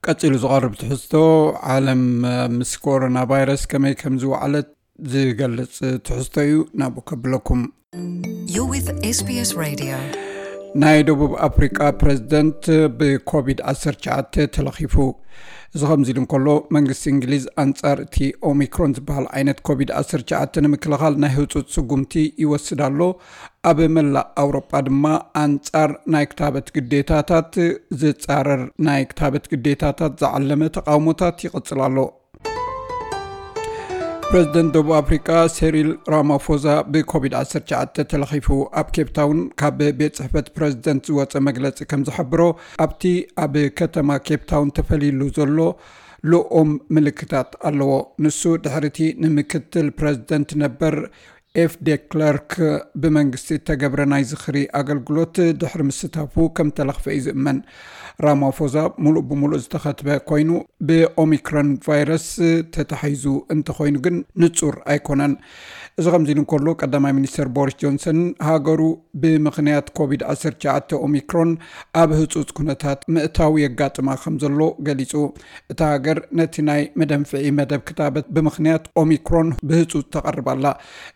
ቀጺሉ ዝቐርብ ትሕዝቶ፣ ዓለም ምስ ኮሮና ቫይረስ ከመይ ከም ዝወዓለት ዝገልጽ ትሕዝቶ እዩ። ናብኡ ከብለኩም። You're with SBS Radio. ናይ ደቡብ ኣፍሪቃ ፕሬዝደንት ብኮቪድ ዓሰርተ ትሽዓተ ተለኺፉ። እዚ ከምዚ ኢሉ እንከሎ፣ መንግስቲ እንግሊዝ ኣንጻር እቲ ኦሚክሮን ዝበሃል ዓይነት ኮቪድ ዓሰርተ ትሽዓተ ንምክልኻል ናይ ህጹጽ ስጉምቲ ይወስድ ኣሎ። ኣብ መላእ ኣውሮጳ ድማ ኣንጻር ናይ ክታበት ግዴታታት ዝጻረር ናይ ክታበት ግዴታታት ዝዓለመ ተቃውሞታት ይቕጽል ኣሎ። ፕሬዝደንት ደቡብ ኣፍሪቃ ሴሪል ራማፎዛ ብኮቪድ ዓሰርተ ትሽዓተ ተለኺፉ። ኣብ ኬፕታውን ካብ ቤት ጽሕፈት ፕሬዝደንት ዝወጸ መግለጺ ከም ዝሕብሮ፣ ኣብቲ ኣብ ከተማ ኬፕታውን ተፈሊሉ ዘሎ ልኡም ምልክታት ኣለዎ። ንሱ ድሕሪቲ ንምክትል ፕሬዝደንት ነበር ኤፍ ዴክለርክ ብመንግስቲ እተገብረ ናይ ዝኽሪ ኣገልግሎት ድሕሪ ምስታፉ ከም ተለኽፈ እዩ ዝእመን። ራማፎዛ ሙሉእ ብሙሉእ ዝተኸትበ ኮይኑ፣ ብኦሚክሮን ቫይረስ ተታሒዙ እንተኾይኑ ግን ንጹር ኣይኮነን። እዚ ከምዚ ኢሉ እንከሎ፣ ቀዳማይ ሚኒስተር ቦሪስ ጆንሰን ሃገሩ ብምኽንያት ኮቪድ ዓሰርተ ትሽዓተ ኦሚክሮን ኣብ ህጹጽ ኩነታት ምእታው የጋጥማ ከም ዘሎ ገሊጹ። እታ ሃገር ነቲ ናይ መደንፍዒ መደብ ክታበት ብምኽንያት ኦሚክሮን ብህጹጽ ተቐርብ ኣላ።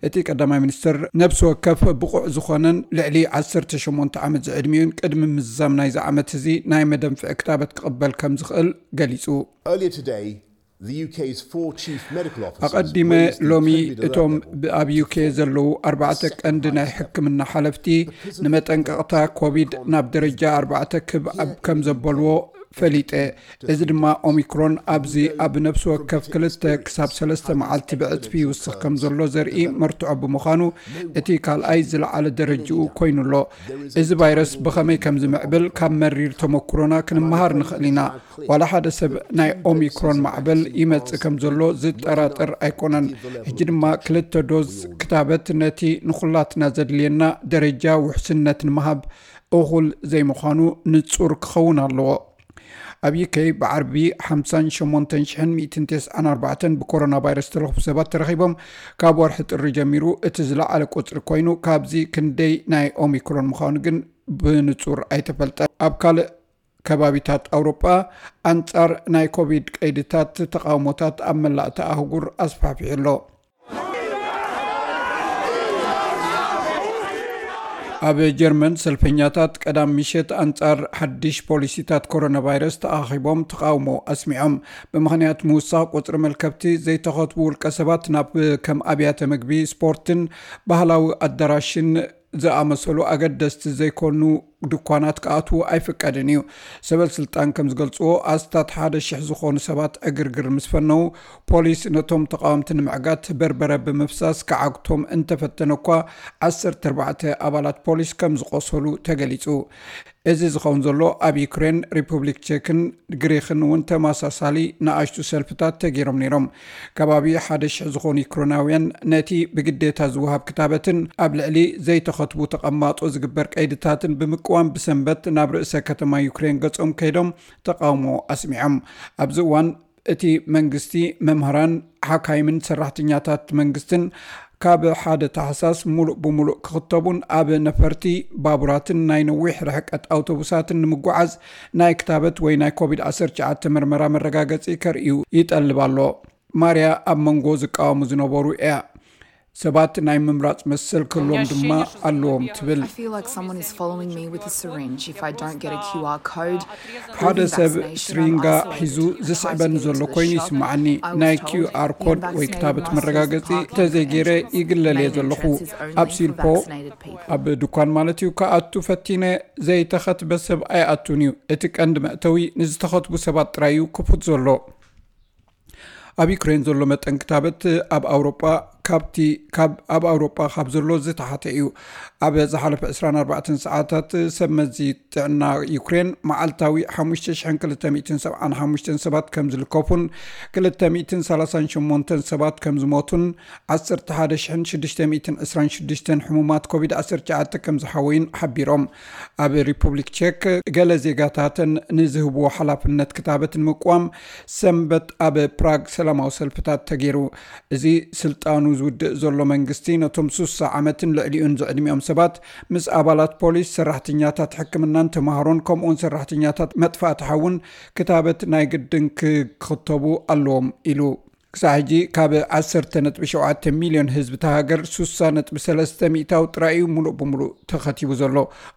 እቲ ቀዳማይ ሚኒስትር፣ ነብሲ ወከፍ ብቑዕ ዝኾነን ልዕሊ ዓሰርተ ሸሞንተ ዓመት ዝዕድሚኡን ቅድሚ ምዝዛም ናይዚ ዓመት እዚ ናይ መደንፍዒ ክታበት ክቕበል ከም ዝኽእል ገሊጹ። Earlier today, the U K's four chief medical officers ኣቐዲመ raised the ሎሚ COVID alert እቶም level ብ- ኣብ ዩኬ ዘለዉ ኣርባዕተ ቀንዲ ናይ ሕክምና ሓለፍቲ ንመጠንቀቕታ ኮቪድ ናብ ደረጃ ኣርባዕተ ክብ ኣብ ከም ዘበልዎ ፈሊጠ። እዚ ድማ ኦሚክሮን ኣብዚ ኣብ ነፍሲ ወከፍ ክልተ ክሳብ ሰለስተ መዓልቲ ብዕጽፊ ይውስኽ ከም ዘሎ ዘርኢ መርትዖ ብምዃኑ፣ እቲ ካልኣይ ዝለዓለ ደረጃኡ ኮይኑ ኣሎ። እዚ ቫይረስ ብኸመይ ከም ዝምዕብል ካብ መሪር ተመክሮና ክንመሃር ንኽእል ኢና። ዋላ ሓደ ሰብ ናይ ኦሚክሮን ማዕበል ይመጽእ ከም ዘሎ ዝጠራጠር ኣይኮነን። ሕጂ ድማ ክልተ ዶዝ ክታበት ነቲ ንኹላትና ዘድልየና ደረጃ ውሕስነት ንምሃብ እኹል ዘይምዃኑ ንጹር ክኸውን ኣለዎ። ኣብ ዩኬ ብዓርቢ ሓምሳን ሸሞንተን ሽሕን ሚእትን ተስዓን ኣርባዕተን ብኮሮና ቫይረስ ዝተለኽፉ ሰባት ተረኺቦም። ካብ ወርሒ ጥሪ ጀሚሩ እቲ ዝለዓለ ቁጽሪ ኮይኑ፣ ካብዚ ክንደይ ናይ ኦሚክሮን ምዃኑ ግን ብንጹር ኣይተፈልጠን። ኣብ ካልእ ከባቢታት ኣውሮጳ ኣንጻር ናይ ኮቪድ ቀይድታት ተቓውሞታት ኣብ መላእቲ ኣህጉር ኣስፋሕፊሑ ኣሎ። ኣብ ጀርመን ሰልፈኛታት ቀዳም ምሸት ኣንጻር ሓድሽ ፖሊሲታት ኮሮና ቫይረስ ተኣኺቦም ተቓውሞ ኣስሚዖም። ብምኽንያት ምውሳኽ ቁጽሪ መልከብቲ ዘይተኸትቡ ውልቀ ሰባት ናብ ከም ኣብያተ ምግቢ፣ ስፖርትን ባህላዊ ኣዳራሽን ዝኣመሰሉ ኣገደስቲ ዘይኮኑ ድኳናት ክኣትዉ ኣይፍቀድን እዩ። ሰበል ስልጣን ከም ዝገልጽዎ፣ ኣስታት ሓደ ሽሕ ዝኾኑ ሰባት ዕግርግር ምስ ፈነዉ፣ ፖሊስ ነቶም ተቓወምቲ ንምዕጋት በርበረ ብምፍሳስ ክዓግቶም እንተፈተነ እኳ፣ ዓሰርተ ኣርባዕተ ኣባላት ፖሊስ ከም ዝቖሰሉ ተገሊጹ። እዚ ዝኸውን ዘሎ፣ ኣብ ዩክሬን፣ ሪፑብሊክ ቼክን ግሪኽን እውን ተመሳሳሊ ንኣሽቱ ሰልፍታት ተገይሮም ነይሮም። ከባቢ ሓደ ሽሕ ዝኾኑ ዩክሬናውያን ነቲ ብግዴታ ዝወሃብ ክታበትን ኣብ ልዕሊ ዘይተኸትቡ ተቐማጦ ዝግበር ቀይድታትን ብምቅዋም፣ ብሰንበት ናብ ርእሰ ከተማ ዩክሬን ገጾም ከይዶም ተቓውሞ ኣስሚዖም። ኣብዚ እዋን እቲ መንግስቲ፣ መምህራን፣ ሓካይምን ሰራሕተኛታት መንግስትን ካብ ሓደ ታሕሳስ ሙሉእ ብሙሉእ ክኽተቡን ኣብ ነፈርቲ፣ ባቡራትን ናይ ነዊሕ ርሕቀት ኣውቶቡሳትን ንምጉዓዝ ናይ ክታበት ወይ ናይ ኮቪድ ዓሰርተ ትሽዓተ መርመራ መረጋገጺ ከርእዩ ይጠልብ ኣሎ። ማርያ ኣብ መንጎ ዝቃወሙ ዝነበሩ እያ። ሰባት ናይ ምምራጽ መሰል ክህልዎም ድማ ኣለዎም ትብል። I feel like someone is following me with a syringe if I don't get a Q R code. ሓደ ሰብ ስሪንጋ ሒዙ ዝስዕበኒ ዘሎ ኮይኑ ይስምዓኒ። ናይ ኪው ኣር ኮድ ወይ ክታበት መረጋገጺ ተዘይገይረ ይግለል እየ ዘለኹ። ኣብ ሲልፖ፣ ኣብ ድኳን ማለት እዩ፣ ክኣቱ ፈቲነ። ዘይተኸትበ ሰብ ኣይኣቱን እዩ። እቲ ቀንዲ መእተዊ ንዝተኸትቡ ሰባት ጥራይ እዩ ክፉት ዘሎ። ኣብ ዩክሬን ዘሎ መጠን ክታበት ኣብ ኣውሮጳ ካብቲ ካብ ኣብ ኣውሮጳ ካብ ዘሎ ዝተሓተ እዩ። ኣብ ዝሓለፈ ዕስራን ኣርባዕተን ሰዓታት ሰብ መዚ ጥዕና ዩክሬን መዓልታዊ ሓሙሽተ ሽሕን ክልተ ሚእትን ሰብዓን ሓሙሽተን ሰባት ከም ዝልከፉን ክልተ ሚእትን ሰላሳን ሸሞንተን ሰባት ከም ዝሞቱን ዓሰርተ ሓደ ሽሕን ሽዱሽተ ሚእትን ዕስራን ሽዱሽተን ሕሙማት ኮቪድ ዓሰርተ ትሽዓተ ከም ዝሓወዩን ሓቢሮም። ኣብ ሪፑብሊክ ቼክ ገለ ዜጋታተን ንዝህብዎ ሓላፍነት ክታበት ንምቅዋም ሰንበት ኣብ ፕራግ ሰላማዊ ሰልፍታት ተገይሩ። እዚ ስልጣኑ ዝውድእ ዘሎ መንግስቲ ነቶም ሱሳ ዓመትን ልዕሊኡን ዝዕድሚኦም ሰባት ምስ ኣባላት ፖሊስ፣ ሰራሕተኛታት ሕክምናን ተማሃሮን ከምኡውን ሰራሕተኛታት መጥፋእቲ ሓውን ክታበት ናይ ግድን ክኽተቡ ኣለዎም ኢሉ። ክሳብ ሕጂ ካብ ዓሰርተ ነጥቢ ሸውዓተ ሚልዮን ህዝቢ እታ ሃገር ሱሳ ነጥቢ ሰለስተ ሚእታዊ ጥራይ እዩ ሙሉእ ብሙሉእ ተኸቲቡ ዘሎ።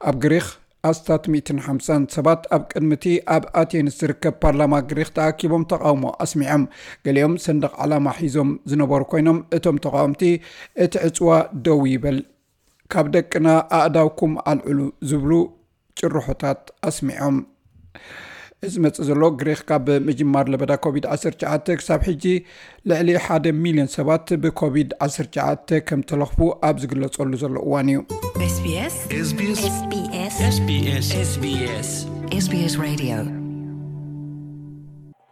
ኣብ ግሪኽ ኣስታት ሚእትን ሓምሳን ሰባት ኣብ ቅድሚቲ ኣብ ኣቴንስ ዝርከብ ፓርላማ ግሪኽ ተኣኪቦም ተቓውሞ ኣስሚዖም። ገሊኦም ሰንደቕ ዓላማ ሒዞም ዝነበሩ ኮይኖም፣ እቶም ተቓወምቲ እቲ ዕፅዋ ደው ይበል፣ ካብ ደቅና ኣእዳውኩም ኣልዕሉ ዝብሉ ጭርሖታት ኣስሚዖም። እዚ መጽእ ዘሎ ግሪኽ ካብ ምጅማር ለበዳ ኮቪድ ዓሰርተ ትሽዓተ ክሳብ ሕጂ ልዕሊ ሓደ ሚልዮን ሰባት ብኮቪድ ዓሰርተ ትሽዓተ ከም ተለኽፉ ኣብ ዝግለጸሉ ዘሎ እዋን እዩ። SBS SBS SBS SBS SBS Radio